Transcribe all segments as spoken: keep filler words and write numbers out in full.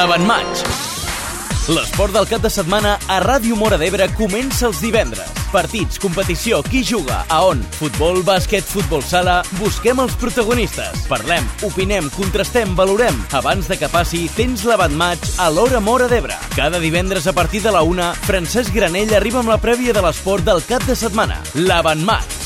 l'Avantmatch. L'esport del cap de setmana a Ràdio Móra d'Ebre comença els divendres. Partits, competició, qui juga, a on, futbol, bàsquet, futbol sala... Busquem els protagonistes. Parlem, opinem, contrastem, valorem. Abans de que passi, tens l'Avantmatch a l'Hora Móra d'Ebre. Cada divendres a partir de la una, Francesc Granell arriba amb la prèvia de l'esport del cap de setmana. L'Avantmatch.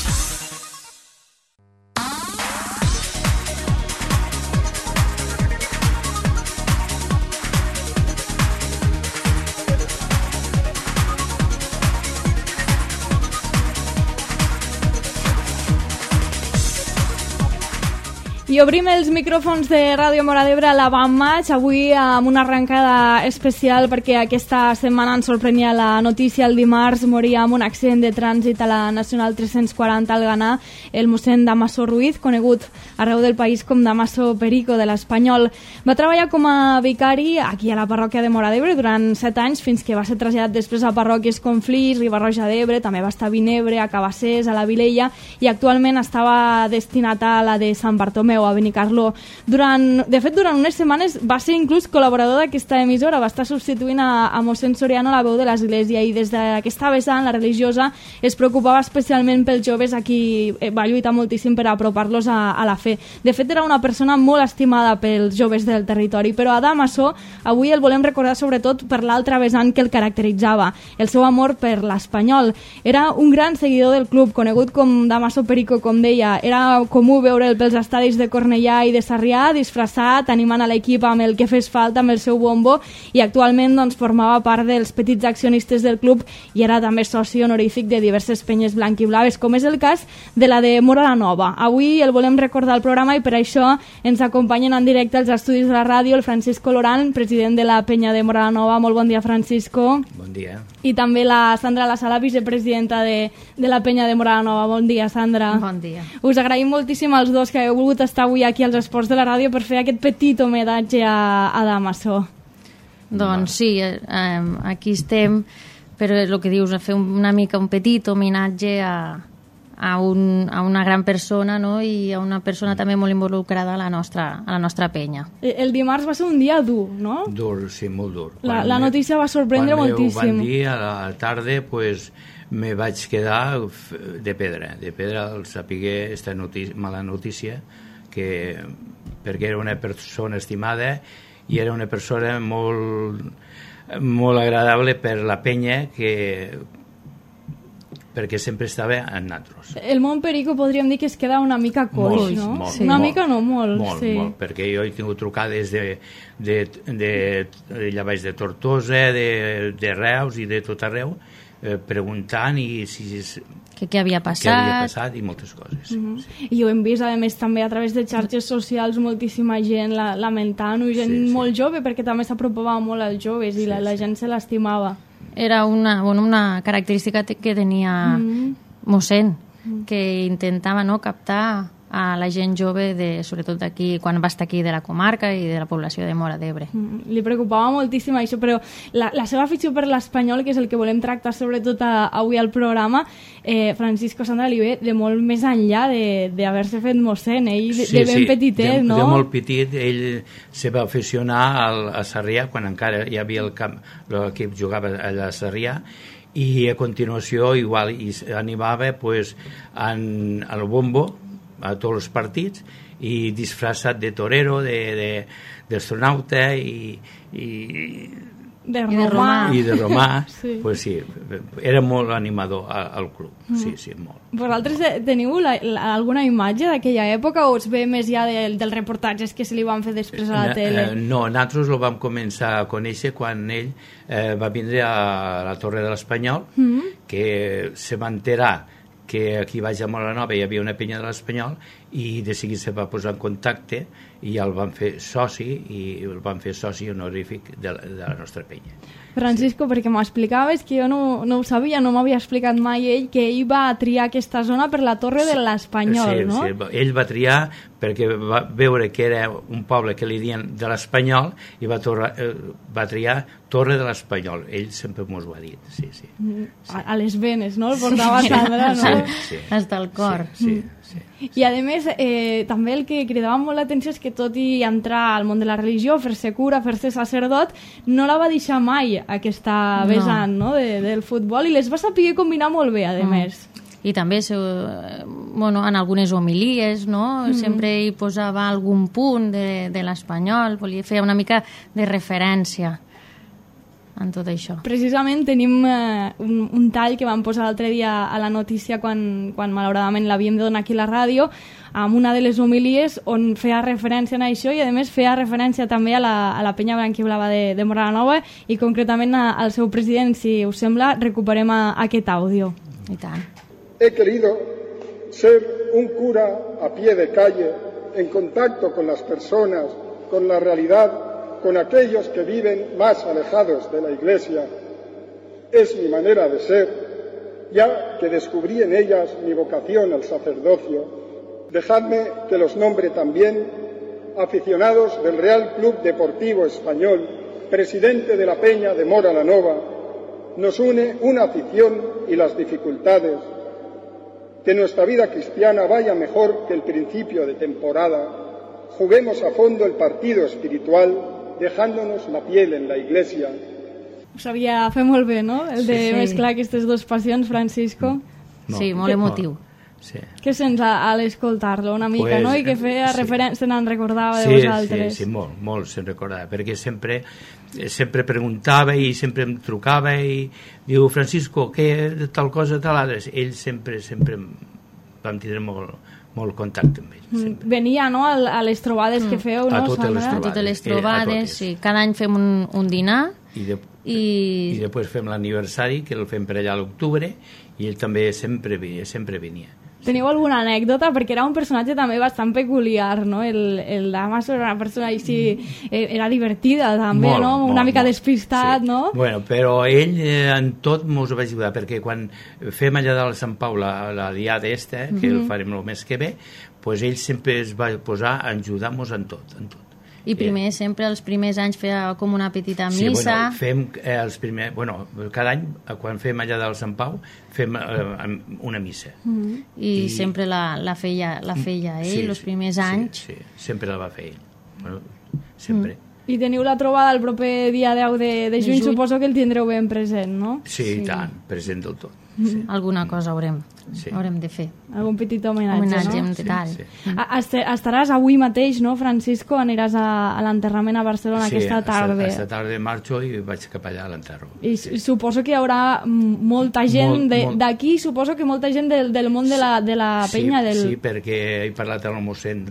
I obrim els micròfons de Ràdio Móra d'Ebre a l'Avantmatch, avui amb una arrencada especial perquè aquesta setmana ens sorprenia la notícia. El dimarts moria amb un accident de trànsit a la Nacional tres-cents quaranta al Ganà el mossèn Damaso Ruiz, conegut arreu del país com Damaso Perico de l'Espanyol. Va treballar com a vicari aquí a la parròquia de Móra d'Ebre durant set anys, fins que va ser traslladat després a parròquies com Flix, Riba-roja d'Ebre, també va estar a Vinebre, a Cabassers, a la Vilella, i actualment estava destinat a la de Sant Bartomeu, a Benicarló. Durant, de fet, durant unes setmanes va ser inclús col·laborador d'aquesta emissora, va estar substituint a, a mossèn Soriano, la veu de l'Església, i des d'aquesta vessant, la religiosa, es preocupava especialment pels joves a qui va lluitar moltíssim per apropar-los a, a la fe. De fet, era una persona molt estimada pels joves del territori, però a Damaso avui el volem recordar sobretot per l'altra vessant que el caracteritzava, el seu amor per l'Espanyol. Era un gran seguidor del club, conegut com Damaso Perico, com deia. Era comú veure'l pels estadis de Cornellà i de Sarrià, disfressat, animant a l'equip amb el que fes falta, amb el seu bombo, i actualment doncs, formava part dels petits accionistes del club i era també soci honorífic de diverses penyes blanquiblaves, com és el cas de la de Móra la Nova. Avui el volem recordar al programa i per això ens acompanyen en directe als estudis de la ràdio el Francisco Lorán, president de la penya de Móra la Nova. Molt bon dia, Francisco. Bon dia. I també la Sandra La Sala, vicepresidenta de, de la penya de Móra la Nova. Bon dia, Sandra. Bon dia. Us agraïm moltíssim als dos que heu volgut estar avui aquí als esports de la ràdio per fer aquest petit homenatge a, a Damaso. Doncs sí, eh, aquí estem, però el que dius, fer una mica un petit homenatge a, a, un, a una gran persona, no? I a una persona també molt involucrada a la nostra, a la nostra penya. El dimarts va ser un dia dur, no? Dur, sí, molt dur. La, la notícia va sorprendre quan moltíssim. Quan van dir a la tarda, pues, me vaig quedar de pedra, de pedra al saber esta notícia, mala notícia, que, perquè era una persona estimada i era una persona molt, molt agradable per la penya, que, perquè sempre estava amb nosaltres. El món Perico podríem dir que es queda una mica coix, molt, no? Molt, sí. Una molt, mica no, molt. Molt, sí. molt, perquè jo he tingut trucades de, de, de, de allà baix de Tortosa, de, de Reus i de tot arreu, eh, preguntant i si... Que què havia passat. Què havia passat i moltes coses. Uh-huh. Sí. I ho hem vist, a més, també a través de xarxes socials, moltíssima gent la, lamentant-ho, gent sí, sí. molt jove, perquè també s'apropava molt als joves i sí, la, la gent se l'estimava. Era una, bueno, una característica que tenia uh-huh. mossèn, uh-huh. que intentava, no, captar a la gent jove, de, sobretot d'aquí, quan va estar aquí de la comarca i de la població de Móra d'Ebre. Mm, li preocupava moltíssim això, però la, la seva afició per l'Espanyol, que és el que volem tractar sobretot a, avui al programa, eh, Francisco, Sandra, li ve de molt més enllà d'haver-se fet mossèn, ell de, sí, de ben sí, petitet, de, no? De molt petit, ell se va aficionar al, a Sarrià, quan encara hi havia el camp, l'equip jugava allà a Sarrià, i a continuació igual i animava pues, en, al bombo, a tots els partits, i disfressat de torero, de, de, d'astronauta i, i, de romà. I de romà, sí. Pues sí, era molt animador al, al club, mm. sí, sí, molt. Vosaltres teniu la, la, alguna imatge d'aquella època o us ve més ja de, dels reportatges que se li van fer després a la tele? No, nosaltres el vam començar a conèixer quan ell eh, va vindre a la Torre de l'Espanyol, mm. que se va enterar que aquí baix a Móra la Nova hi havia una penya de l'Espanyol i de seguida se va posar en contacte i el van fer soci i el van fer soci honorífic de la, de la nostra penya. Francisco, sí. Perquè m'explicaves que jo no, no ho sabia, no m'havia explicat mai ell, que ell va triar aquesta zona per la Torre de l'Espanyol, sí, no? Sí, ell va triar perquè va veure que era un poble que li diuen de l'Espanyol i va, torra, eh, va triar Torre de l'Espanyol. Ell sempre m'ho ha dit, sí, sí. Mm, sí. A, a les venes, no? El portava Sandra, no? Sí, sí. Hasta el cor. Sí, sí, sí. I a més més, eh, també el que cridava molt l'atenció és que tot i entrar al món de la religió, fer-se cura, fer-se sacerdot, no la va deixar mai aquesta vessant no. no, de, del futbol, i les va saber combinar molt bé, a mm. més. I també bueno, en algunes homilies, no? Mm. Sempre hi posava algun punt de, de l'espanyol, volia fer una mica de referència en tot això. Precisament tenim eh, un, un tall que vam posar l'altre dia a la notícia quan, quan malauradament l'havíem de donar aquí a la ràdio, amb una de les homilies on feia referència a això i a més feia referència també a la, a la penya branquiblava de, de Moranova i concretament a, al seu president. Si us sembla, recuperem a, a aquest àudio. I tant. He querido ser un cura a pie de calle, en contacto con las personas, con la realidad, con aquellos que viven más alejados de la Iglesia. Es mi manera de ser, ya que descubrí en ellas mi vocación al sacerdocio. Dejadme que los nombre también, aficionados del Real Club Deportivo Español, presidente de la Peña de Mora la Nova. Nos une una afición y las dificultades. Que nuestra vida cristiana vaya mejor que el principio de temporada. Juguemos a fondo el partido espiritual, dejándonos la piel en la Iglesia. Ho sabia fer molt bé, no? El de sí, mesclar aquestes dues passions, Francisco. No, sí, molt emotiu. Sí. Què sents a, a l'escoltar-lo una mica, pues, no? I que feia sí. referència, se'n recordava de sí, vosaltres. Sí, sí, molt, molt se'n recordava, perquè sempre, sempre preguntava i sempre em trucava i diu, Francisco, què tal cosa, tal altres? Ell sempre, sempre vam tindre molt, molt contacte amb ell. Mm. Venia, no?, a les trobades mm. que feu, no? A totes les trobades. A totes les trobades, sí. Cada any fem un, un dinar. I, de, i... i després fem l'aniversari, que el fem per allà a l'octubre, i ell també sempre venia, sempre venia. Teniu alguna anècdota? Perquè era un personatge també bastant peculiar, no? El, el Damaso era una persona així, era divertida també, molt, no? Una molt, mica molt. Despistat, sí. no? Bueno, però ell eh, en tot mos va ajudar, perquè quan fem allà de Sant Pau la, la diada esta, que mm-hmm. el farem el mes que ve, pues ell sempre es va posar a ajudar-nos en tot, en tot. I primer, eh. sempre, els primers anys feia com una petita missa. Sí, bueno, fem eh, els primers... Bueno, cada any, quan fem allà del Sant Pau, fem eh, una missa. Mm-hmm. I, I sempre la, la, feia, la feia ell, sí, els primers sí, anys. Sí, sí, sempre la va fer ell. Bueno, sempre. Mm. I teniu la trobada el proper dia deu de, de juny, de juny, suposo que el tindreu ben present, no? Sí, sí. tant, present del tot. Sí. Alguna cosa haurem, sí. haurem de fer. Algun petit homenatge, homenatge no? en detall. Sí, sí. Estaràs avui mateix, no, Francisco? Aniràs a, a l'enterrament a Barcelona sí, aquesta tarda. Sí, aquesta tarda marxo i vaig cap allà a l'enterro. I sí. suposo que hi haurà molta gent d'aquí, suposo que molta gent del, del món de la, de la penya. Sí, del... sí, perquè he parlat amb el mossèn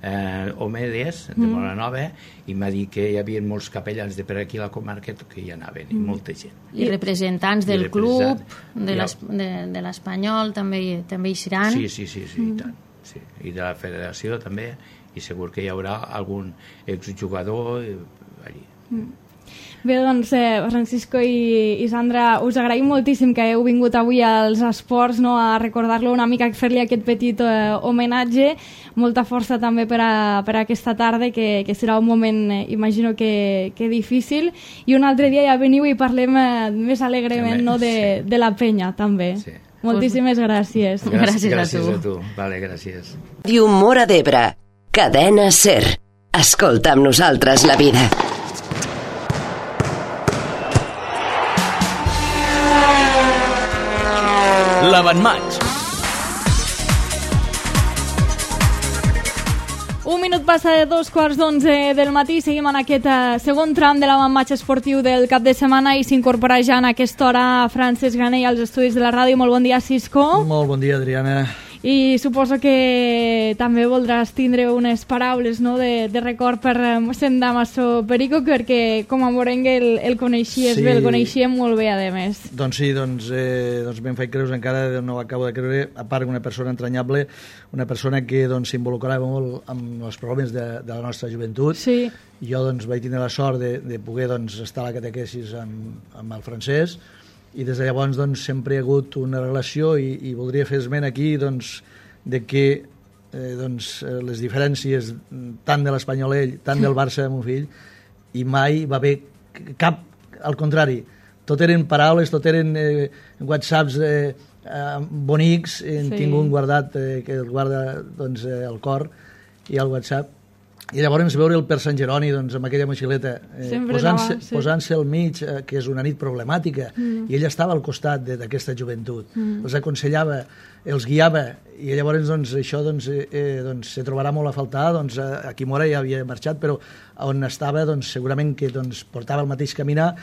eh, Omedes de mm. Moranova i m'ha dit que hi havia molts capellans de per aquí a la comarca que hi anaven, mm. i molta gent. I representants del I representant, club, de, les, de, de l'Espanyol també, també hi seran. Sí, sí, sí, sí, mm. i tant. Sí. I de la federació també, i segur que hi haurà algun exjugador allí. Mm. Bé, doncs, eh, Francisco i, i Sandra, us agraïm moltíssim que heu vingut avui als esports, no?, a recordar-lo una mica, fer-li aquest petit eh, homenatge. Molta força també per a, per a aquesta tarda, que, que serà un moment, eh, imagino que, que difícil. I un altre dia ja veniu i parlem eh, més alegrement, no?, de, sí. de la penya, també. Sí. Moltíssimes gràcies. Gràcies, gràcies a tu. Vale, gràcies. Ràdio Móra d'Ebre, cadena SER. Escolta amb nosaltres la vida. L'Avantmatx. Un minut passa de dos quarts d'onze del matí. Seguim en aquest uh, segon tram de l'avantmatx esportiu del cap de setmana i s'incorpora ja en aquesta hora Francesc Granell als estudis de la ràdio. Molt bon dia, Cisco. Molt bon dia, Adriana. I suposo que també voldràs tindre unes paraules, no?, de, de record per mossèn Damaso Perico, perquè com a morengue el, el coneixies sí. bé, el coneixíem molt bé, a més. Doncs sí, doncs, eh, doncs me'n faig creus encara, no ho acabo de creure, a part una persona entranyable, una persona que doncs, s'involucrava molt amb els problemes de, de la nostra joventut. Sí. Jo doncs, vaig tenir la sort de, de poder doncs, estar a la catequesis amb, amb el francès, i des de llavors doncs, sempre hi ha hagut una relació i, i voldria fer esment aquí doncs, de que eh, doncs, les diferències tant de l'Espanyol ell, tant del Barça de mon fill, i mai va haver cap, al contrari, tot eren paraules, tot eren eh, whatsapps eh, eh, bonics, hem Sí. tingut guardat, eh, que el guarda doncs, eh, el cor i el WhatsApp, i llavors veure'l per Sant Jeroni doncs, amb aquella motxileta eh, Sempre posant-se anava, sí. posant-se al mig, eh, que és una nit problemàtica, mm. i ell estava al costat de- d'aquesta joventut, mm. els aconsellava, els guiava, i llavors doncs, això doncs, eh, eh, doncs, se trobarà molt a faltar, doncs, eh, aquí Mora ja havia marxat, però on estava doncs, segurament que doncs, portava el mateix caminar,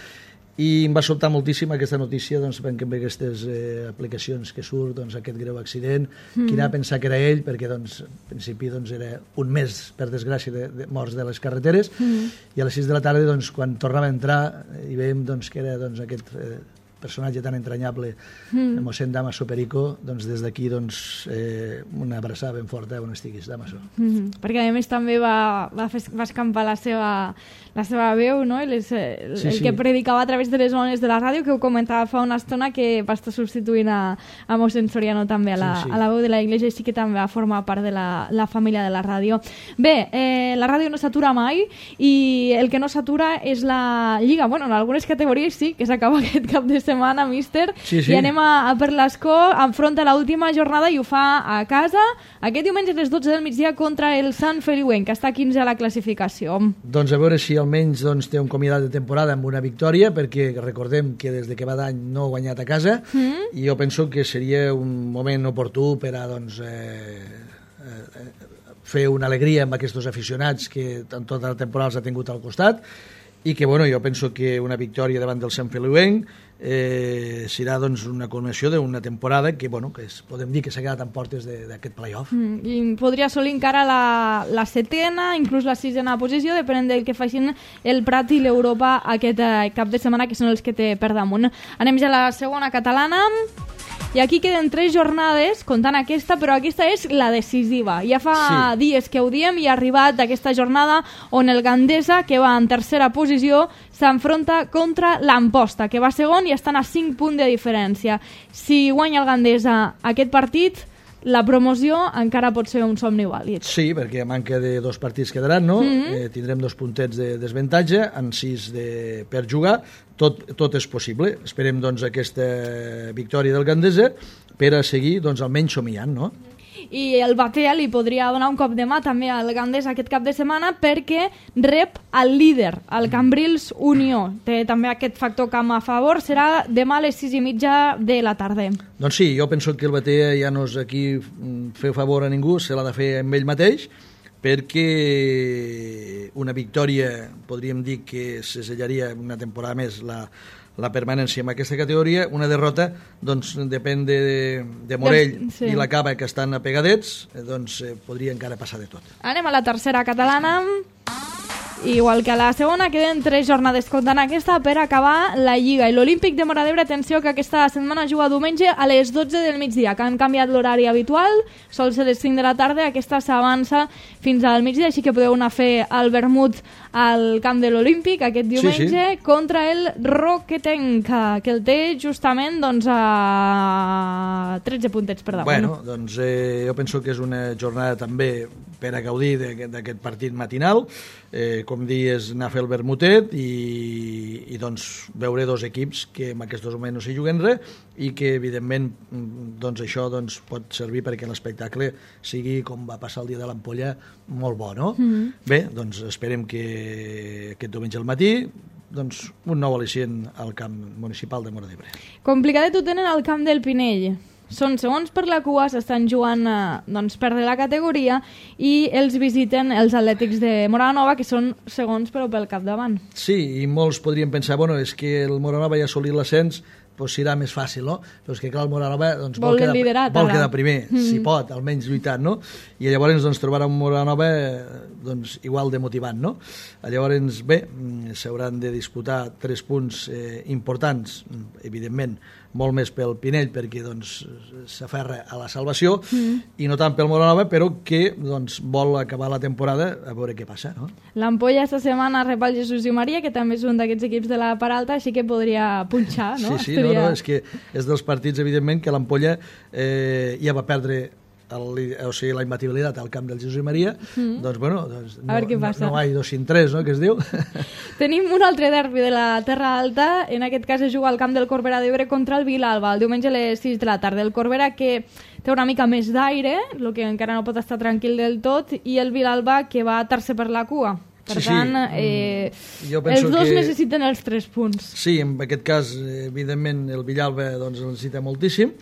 i em va sobtar moltíssim aquesta notícia doncs, perquè amb aquestes eh, aplicacions que surt, doncs, aquest greu accident, mm. qui anava a pensar que era ell, perquè doncs, en principi doncs, era un mes, per desgràcia, de, de morts de les carreteres, mm. i a les sis de la tarda, doncs, quan tornava a entrar, i veiem doncs, que era doncs, aquest eh, personatge tan entranyable, mm. mossèn Damaso Perico, doncs, des d'aquí doncs, eh, una abraçada ben forta on estiguis, Damaso. Mm-hmm. Perquè a més també va, va, fer, va escampar la seva, la seva veu, no? I les, el, Sí, el sí. que predicava a través de les ones de la ràdio, que ho comentava fa una estona, que va estar substituint a, a mossèn Soriano també a la, Sí, sí. a la veu de la Iglesia, i sí que també va formar part de la, la família de la ràdio. Bé, eh, la ràdio no s'atura mai, i el que no s'atura és la Lliga. Bueno, en algunes categories sí, que s'acaba aquest cap de setmana, míster, Sí, sí. i anem a, a per l'Escó, enfronta l'última jornada i ho fa a casa aquest diumenge a les dotze del migdia contra el Sant Feliuenc, que està quinze a la classificació. Doncs a veure si almenys doncs, té un comiadat de temporada amb una victòria, perquè recordem que des de que va d'any no ha guanyat a casa, mm. i jo penso que seria un moment oportú per a doncs, eh, eh, fer una alegria amb aquests aficionats que en tota la temporada els ha tingut al costat, i que bueno, jo penso que una victòria davant del Sant Feliuenc eh, serà doncs, una culminació d'una temporada que, bueno, que es, podem dir que s'ha quedat en portes d'aquest play-off. Mm, I podria assolir encara la, la setena, inclús la sisena posició, depenent del que facin el Prat i l'Europa aquest eh, cap de setmana, que són els que té per damunt. Anem ja a la segona catalana. I aquí queden tres jornades, comptant aquesta, però aquesta és la decisiva. Ja fa sí. dies que ho diem i ha arribat aquesta jornada on el Gandesa, que va en tercera posició, s'enfronta contra l'Amposta, que va segon i estan a cinc punts de diferència. Si guanya el Gandesa aquest partit, la promoció encara pot ser un somni vàlid. Sí, perquè a manca de dos partits quedaran, no? Mm-hmm. eh, tindrem dos puntets de desavantatge, en sis de, per jugar, tot, tot és possible. Esperem doncs, aquesta victòria del Gandesa per a seguir doncs, almenys somiant, no? I el Batea li podria donar un cop de mà també al Gandesa aquest cap de setmana, perquè rep el líder, el Cambrils Unió. Té també aquest factor camp a favor. Serà demà a les sis i mitja de la tarda. Doncs sí, jo penso que el Batea ja no és aquí fer favor a ningú, se l'ha de fer amb ell mateix, perquè una victòria, podríem dir que se sellaria una temporada més la, la permanència en aquesta categoria. Una derrota doncs, depèn de, de Morell sí. i la Cava, que estan apegadets, doncs eh, podria encara passar de tot. Anem a la tercera catalana. Igual que a la segona, queden tres jornades comptant aquesta per acabar la Lliga. I l'Olímpic de Móra d'Ebre, atenció, que aquesta setmana juga diumenge a les dotze del migdia, que han canviat l'horari habitual, sol ser les cinc de la tarda, aquesta s'avança fins al migdia, així que podeu anar a fer el vermut al camp de l'Olímpic aquest diumenge, sí, sí. contra el Roquetenc, que el té justament doncs, a tretze puntets per damunt. Bueno, doncs eh, jo penso que és una jornada també per a gaudir d'aquest partit matinal, eh, com dius, anar a fer el vermutet i, i doncs veure dos equips que en aquests moments no s'hi juguen res i que evidentment doncs, això doncs, pot servir perquè l'espectacle sigui, com va passar el dia de l'Ampolla, molt bo, no? Mm-hmm. Bé, doncs esperem que aquest diumenge al matí doncs, un nou al·licient al camp municipal de Móra d'Ebre. Complicadet ho tenen al camp del Pinell. Són segons per la cua, s'estan jugant eh, doncs, per la categoria i els visiten els Atlètics de Moranova, que són segons però pel capdavant. Sí, i molts podrien pensar, bueno, és que el Moranova ja ha assolit l'ascens, doncs serà més fàcil, no? Però és que clar, el Moranova doncs, vol, vol, quedar, liderat, vol quedar primer, mm. si pot, almenys lluitant, no? I llavors doncs, trobarà un Moranova doncs, igual de motivant, no? Llavors, bé, s'hauran de disputar tres punts eh, importants, evidentment, molt més pel Pinell, perquè doncs, s'aferra a la salvació, mm. i no tant pel Moranova, però que doncs, vol acabar la temporada a veure què passa, no? L'Ampolla esta setmana rep el Jesús i Maria, que també és un d'aquests equips de la part alta, així que podria punxar, no? Sí, sí, no, no, és que és dels partits, evidentment, que l'Ampolla eh, ja va perdre el, o sigui, la imbatibilitat al camp del Jesús i Maria, mm. doncs, bueno, doncs, no, a veure què passa. No, no hay dos sin tres, no?, que es diu. Tenim un altre derbi de la Terra Alta, en aquest cas es juga al camp del Corbera d'Ebre contra el Vilalba, el diumenge a les sis de la tarda. El Corbera que té una mica més d'aire, el que encara no pot estar tranquil del tot, i el Vilalba que va tercer per la cua. Per sí, tant, sí. eh, els dos que... necessiten els tres punts. Sí, en aquest cas, evidentment, el Villalba doncs, el necessita moltíssim,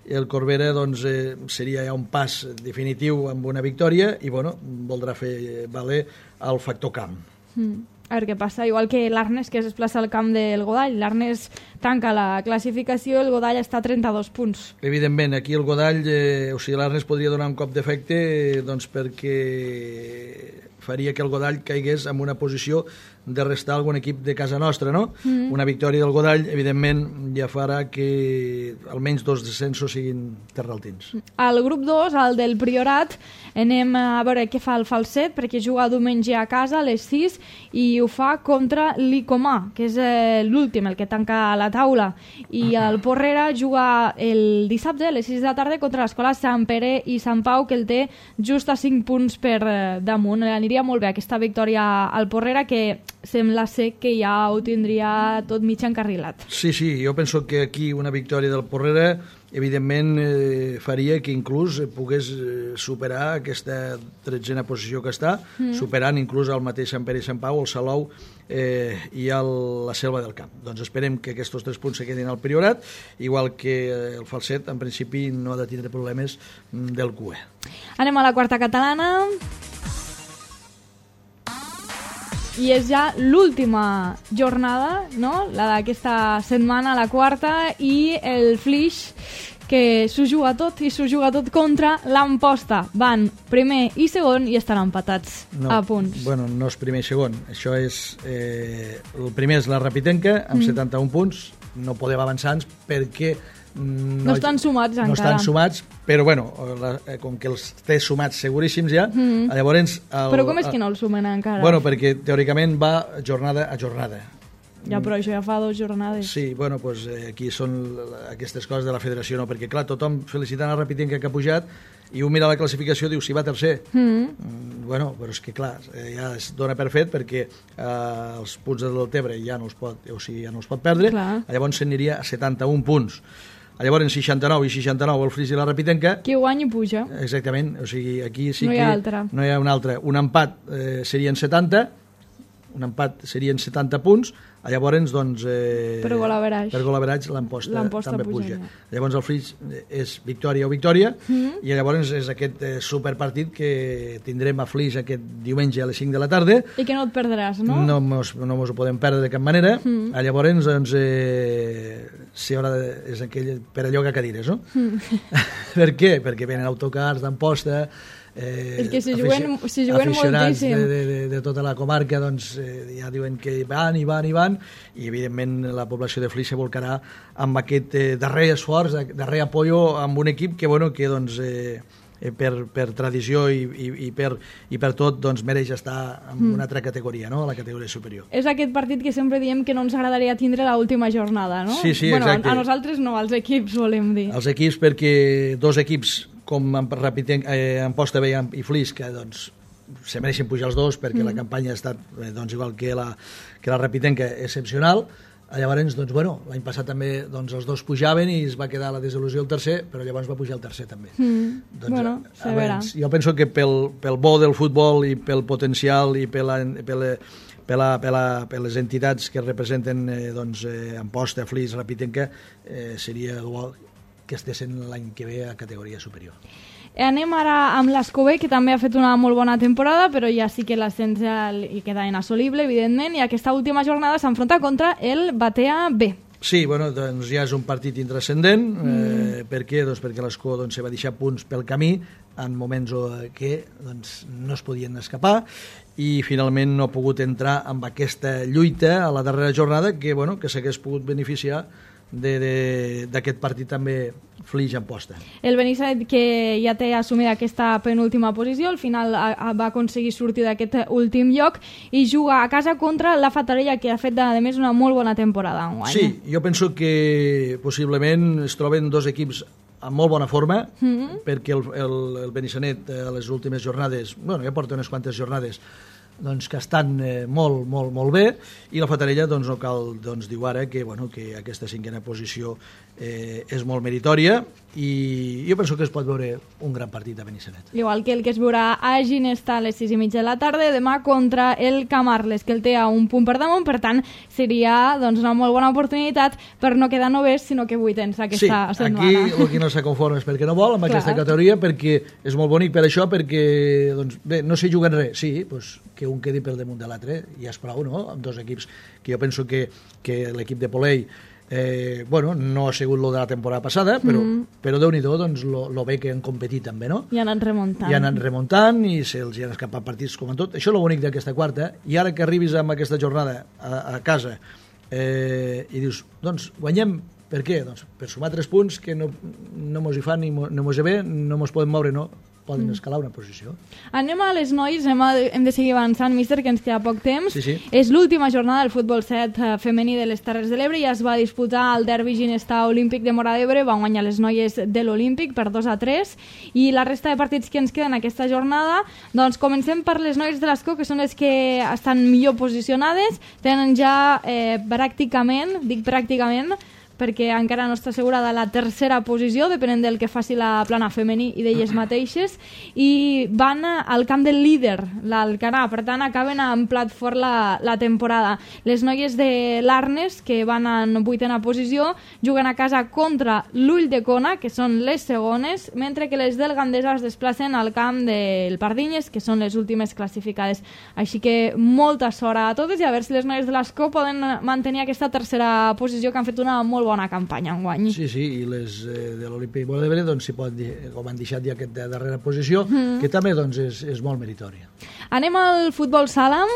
i el Corbera doncs, eh, seria ja un pas definitiu amb una victòria i bueno, voldrà fer valer el factor camp. Mm. A veure què passa, igual que l'Arnes, que es desplaça al camp del Godall. L'Arnes tanca la classificació, el Godall està a trenta-dos punts. Evidentment, aquí el Godall, eh, o sigui, l'Arnes podria donar un cop d'efecte eh, doncs perquè faria que el Godall caigués en una posició de restar algun equip de casa nostra, no? Mm. Una victòria del Godall, evidentment, ja farà que almenys dos descensos siguin terraltins. Al grup dos, al del Priorat, anem a veure què fa el Falset, perquè juga diumenge a casa a les sis i ho fa contra l'Icomà, que és eh, l'últim, el que tanca la taula. I el Porrera juga el dissabte a les sis de la tarda contra l'escola Sant Pere i Sant Pau, que el té just a cinc punts per eh, damunt. Aniria molt bé aquesta victòria al Porrera, que sembla ser que ja ho tindria tot mig encarrilat. Sí, sí, jo penso que aquí una victòria del Porrera evidentment eh, faria que inclús pogués eh, superar aquesta tretzena posició que està, mm. superant inclús el mateix Sant Pere i Sant Pau, el Salou eh, i el, la Selva del Camp. Doncs esperem que aquests tres punts se quedin al Priorat, igual que el Falset en principi no ha de tindre problemes del Q E. Anem a la quarta catalana. I és ja l'última jornada, no?, la d'aquesta setmana, la quarta, i el Flix, que s'ho juga tot, i s'ho juga tot contra l'Amposta. Van primer i segon i estan empatats no, a punts. Bueno, no és primer i segon. Això és... Eh, el primer és la Rapitenca, amb mm. setanta-un punts. No podem avançar-nos perquè... No, no estan sumats no encara. No estan sumats, però bueno, la, com que els té sumats seguríssims ja, mm. llavors... El, però com és que no els sumen encara? Bueno, perquè teòricament va jornada a jornada. Ja, però això ja fa dues jornades. Sí, bueno, doncs eh, aquí són aquestes coses de la federació, no? Perquè clar, tothom felicitant el Rapitenca que ha pujat i un mira la classificació i diu si va tercer. Mm. Mm, bueno, però és que clar, eh, ja es dona per fet perquè eh, els punts del Tebre ja no els pot, o sigui, ja no els pot perdre, clar. Llavors s'aniria a setanta-un punts. Llavors, en seixanta-nou i seixanta-nou el Flix i la Rapitenca... Qui guanya i puja. Exactament, o sigui, aquí sí no que... No hi ha altra. No hi ha una altra. Un empat eh, serien setanta, un empat serien setanta punts, llavors, doncs... Eh, per gol average. Per gol average l'Amposta també puja. Ja. Llavors el Flix és victòria o victòria, mm-hmm. i llavors és aquest eh, superpartit que tindrem a Flix aquest diumenge a les cinc de la tarda. I que no et perdràs, no? No mos, no mos ho podem perdre de cap manera. Mm. Llavors, doncs, eh, si haurà de, és aquell per allò que cadires, no? Mm. Per què? Perquè venen autocars d'Amposta, Eh, és que si juguen, si juguen moltíssim de, de, de, de tota la comarca, doncs eh, ja diuen que van i van i van, i evidentment la població de Flix se volcarà amb aquest eh, darrer esforç, darrer apoyo amb un equip que, bueno, que doncs eh, per, per tradició i, i, i, per, i per tot doncs mereix estar en mm. una altra categoria, no?, a la categoria superior. És aquest partit que sempre diem que no ens agradaria tindre l'última jornada, no? Sí, sí, bueno, exacte. A, a nosaltres no, als equips volem dir. Els equips, perquè dos equips com en eh, Amposta i, i Flix, que doncs se mereixen pujar els dos perquè mm. la campanya ha estat eh, doncs, igual que la, que la Rapitenca excepcional. Llavors, doncs, bueno, l'any passat també doncs, els dos pujaven i es va quedar la desil·lusió el tercer, però llavors va pujar el tercer també. Mm. Doncs, bueno, se verà. Jo penso que pel, pel bo del futbol i pel potencial i per, la, per, la, per, la, per, la, per les entitats que representen eh, doncs, eh, Amposta, Flix, Rapitenca, eh, seria bo que estessin l'any que ve a categoria superior. Anem ara amb l'Escobé, que també ha fet una molt bona temporada, però ja sí que l'ascens hi queda inassolible, evidentment, i aquesta última jornada s'enfronta contra el Batea B. Sí, bueno, doncs ja és un partit intrascendent. Mm. Eh, per què? Doncs perquè l'Escó doncs, se va deixar punts pel camí en moments que doncs, no es podien escapar i finalment no ha pogut entrar amb aquesta lluita a la darrera jornada que, bueno, que s'hagués pogut beneficiar d'aquest partit també Flix Amposta. El Benissanet, que ja té assumida aquesta penúltima posició, al final a, a, va aconseguir sortir d'aquest últim lloc i juga a casa contra la Fatarella, que ha fet a més una molt bona temporada enguany. Sí, jo penso que possiblement es troben dos equips en molt bona forma, mm-hmm. perquè el, el, el Benissanet a les últimes jornades, bueno, ja porta unes quantes jornades, doncs, que estan eh, molt, molt, molt bé, i la Fatarella doncs, no cal doncs, dir ara que, bueno, que aquesta cinquena posició eh, és molt meritòria, i jo penso que es pot veure un gran partit a Benissanet. Igual que el que es veurà a Ginesta a les sis i mitja de la tarda, demà contra el Camarles, que el té a un punt per damunt, per tant, seria doncs, una molt bona oportunitat per no quedar novès, sinó que vuitens aquesta sí, setmana. Sí, aquí el que no s'ha conforme és perquè no vol, amb Clar. aquesta categoria, perquè és molt bonic per això, perquè, doncs, bé, no s'hi juguen res, sí, doncs, que un quedi per damunt de l'altre, ja és prou, no?, amb dos equips, que jo penso que, que l'equip de Polei Eh, bueno, no ha sigut lo de la temporada passada, però, mm. però Déu-n'hi-do, doncs, lo, lo bé que han competit també, no? I han anat remuntant. I han anat remuntant i se'ls hi han escapat partits com en tot. Això és lo bonic d'aquesta quarta, i ara que arribis amb aquesta jornada a, a casa eh, i dius, doncs, guanyem, per què? Doncs per sumar tres punts que no, no mos hi fan ni no mos hi ve, no mos podem moure, no? Poden escalar una posició. Anem a les nois, hem, hem de seguir avançant, míster, que ens queda poc temps. Sí, sí. És l'última jornada del futbol set femení de les Terres de l'Ebre, ja es va disputar el derbi Ginesta Olímpic de Móra d'Ebre, van guanyar les noies de l'Olímpic per dos a tres, i la resta de partits que ens queden aquesta jornada, doncs comencem per les noies de l'Escó, que són les que estan millor posicionades, tenen ja eh, pràcticament, dic pràcticament, perquè encara no està assegurada la tercera posició, depenent del que faci la plana femení i d'elles mateixes, i van al camp del líder, l'Alcanar, per tant acaben amb plat fort la, la temporada. Les noies de l'Arnes, que van en vuitena posició, juguen a casa contra l'Ull de Cona, que són les segones, mentre que les del Gandesa es desplacen al camp del Pardinyes, que són les últimes classificades. Així que molta sort a totes, i a veure si les noies de l'Escó poden mantenir aquesta tercera posició, que han fet una molt bona campanya enguany. Sí, sí, i les eh, de l'Olímpic Móra d'Ebre, doncs, si pot dir, com han deixat ja aquesta darrera posició, mm. que també doncs, és, és molt meritòria. Anem al futbol sala.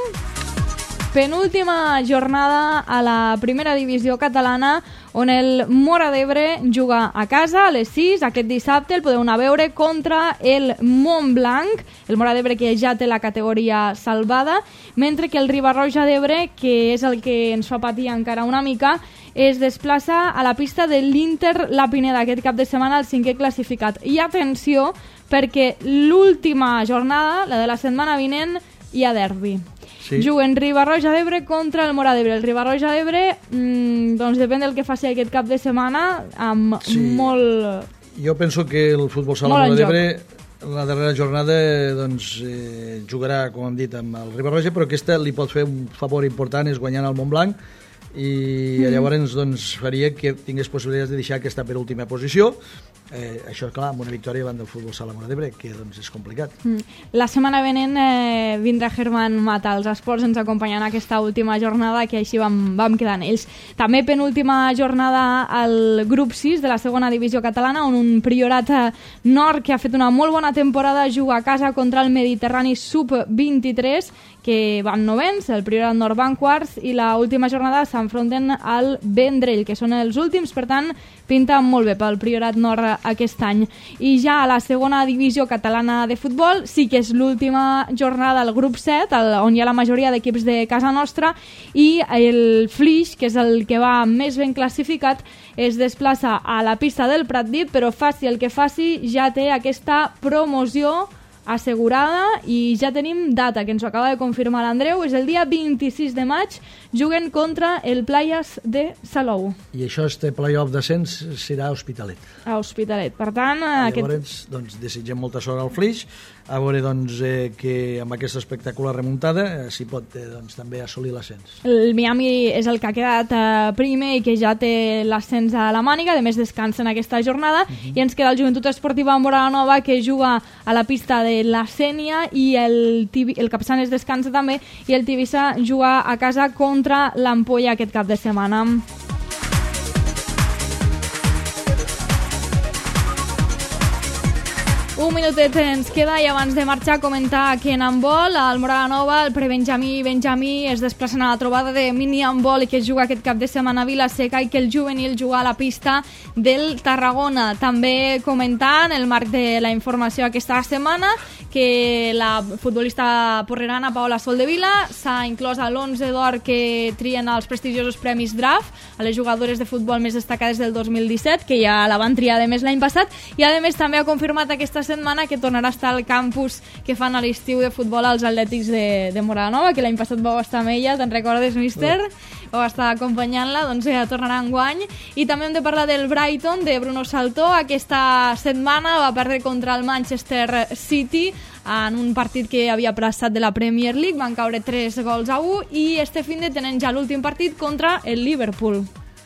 Penúltima jornada a la primera divisió catalana, on el Móra d'Ebre juga a casa a les sis. Aquest dissabte el podeu anar a veure contra el Montblanc, el Móra d'Ebre que ja té la categoria salvada, mentre que el Riba-roja d'Ebre, que és el que ens fa patir encara una mica, es desplaça a la pista de l'Inter La Pineda aquest cap de setmana, el cinquè classificat. I atenció, perquè l'última jornada, la de la setmana vinent, hi ha derbi. Sí. Juguen Riba-roja d'Ebre contra el Móra d'Ebre. El Riba-roja d'Ebre, mmm, doncs depèn del que faci aquest cap de setmana, amb sí. molt... Jo penso que el futbol sala Móra d'Ebre la darrera jornada doncs, eh, jugarà, com hem dit, amb el Riba-roja, però aquesta li pot fer un favor important, és guanyant el Montblanc, i mm. llavors doncs, faria que tingués possibilitats de deixar aquesta per última posició. Eh, això, clar, amb una victòria davant del futbol sala Móra d'Ebre, que doncs, és complicat. Mm. La setmana venent eh, vindrà Germán Mata als esports, ens acompanyant aquesta última jornada, que així vam, vam quedar en ells. També penúltima jornada al grup sis de la segona divisió catalana, on un Priorat Nord, que ha fet una molt bona temporada, juga a casa contra el Mediterrani sub vint-i-tres, que van novens, el Priorat Nord van quarts, i la última jornada s'enfronten al Vendrell, que són els últims, per tant, pinta molt bé pel Priorat Nord aquest any. I ja a la segona divisió catalana de futbol, sí que és l'última jornada al grup set, el, on hi ha la majoria d'equips de casa nostra, i el Flix, que és el que va més ben classificat, es desplaça a la pista del Pratdip, però faci el que faci, ja té aquesta promoció assegurada, i ja tenim data, que ens ho acaba de confirmar l'Andreu, és el dia vint-i-sis de maig, juguen contra el Playas de Salou. I això, este play-off d'ascens, serà a Hospitalet. A Hospitalet, per tant... Llavors, aquest... doncs, desitgem molta sort al Flix, a veure doncs, eh, que amb aquesta espectacular remuntada eh, s'hi pot eh, doncs, també assolir l'ascens. El Miami és el que ha quedat eh, primer i que ja té l'ascens a la màniga, de més descansa en aquesta jornada, uh -huh. i ens queda el Joventut Esportiva Móra la Nova, que juga a la pista de la Sènia, i el, Tibi, el Capçanes descansa també, i el Tivissa juga a casa contra l'Ampolla aquest cap de setmana. Un minutet ens queda, i abans de marxar comentar que en handbol, al Móra la Nova, el prebenjamí i benjamí es desplacen a la trobada de mini-handbol, i que es juga aquest cap de setmana a Vila-seca, i que el juvenil juga a la pista del Tarragona. També comentant el marc de la informació aquesta setmana, que la futbolista porrerana Paola Soldevila s'ha inclòs a l'onze d'or que trien els prestigiosos premis Draft a les jugadores de futbol més destacades del dos mil disset, que ja la van triar a més l'any passat, i a més també ha confirmat aquesta setmana que tornarà a estar al campus que fan a l'estiu de futbol als Atlètics de, de Moranova, que l'any passat vau estar amb ella, te'n recordes, míster? Vau estar acompanyant-la, doncs ja tornarà enguany. I també hem de parlar del Brighton, de Bruno Saltó. Aquesta setmana va perdre contra el Manchester City en un partit que havia plaçat de la Premier League, van caure tres gols a u, i este fin de tenen ja l'últim partit contra el Liverpool.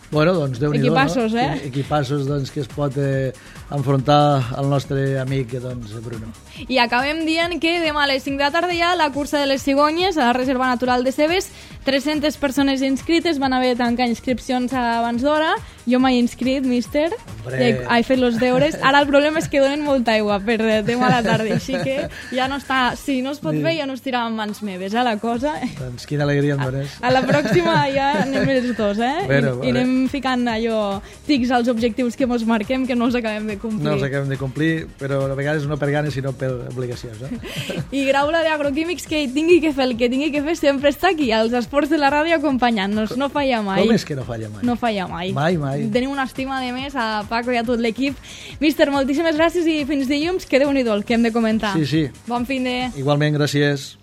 Bueno, doncs Déu-n'hi-do, Equipassos, no? eh? Equipassos, doncs, que es pot eh, enfrontar al nostre amic, doncs, Bruno. I acabem dient que demà a les cinc de la tarda hi ha la cursa de les cigonyes a la Reserva Natural de Cebes. tres-centes persones inscrites, van haver de tancar inscripcions abans d'hora. Jo m'he inscrit, míster, Hombre. i he, he fet els deures. Ara el problema és que donen molta aigua per demà a la tarda, així que ja no està... Si no es pot fer, ja no es tira en mans meves, eh, la cosa. Doncs quina alegria em dones. A la pròxima ja anem els dos, eh? Bueno, I, i anem ficant allò tics als objectius que mos marquem, que no els acabem de complir. No els acabem de complir, però a vegades no per ganes, sinó per obligacions. Eh? I Graula d'Agroquímics, que tingui que fer el que tingui que fer, sempre està aquí, als esports de la ràdio acompanyant-nos, no falla mai. Com és que no falla mai? No falla mai. Mai, mai. Tenim una estima de més a Paco i a tot l'equip. Míster, moltíssimes gràcies i fins dilluns, que Déu-n'hi-do el que hem de comentar. Sí, sí. Bon fin de... Igualment, gràcies.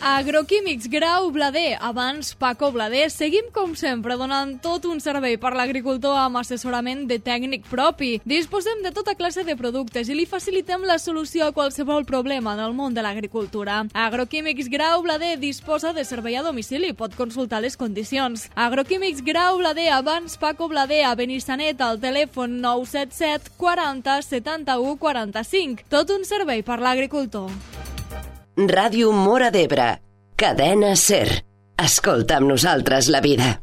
Agroquímics Grau Blader, abans Paco Blader. Seguim, com sempre, donant tot un servei per l'agricultor amb assessorament de tècnic propi. Disposem de tota classe de productes i li facilitem la solució a qualsevol problema en el món de l'agricultura. Agroquímics Grau Blader disposa de servei a domicili, pot consultar les condicions. Agroquímics Grau Blader, abans Paco Blader, a Benissanet, al telèfon nou set set quaranta setanta-u quaranta-cinc. Tot un servei per l'agricultor. Ràdio Móra d'Ebre, cadena SER. Escolta amb nosaltres la vida.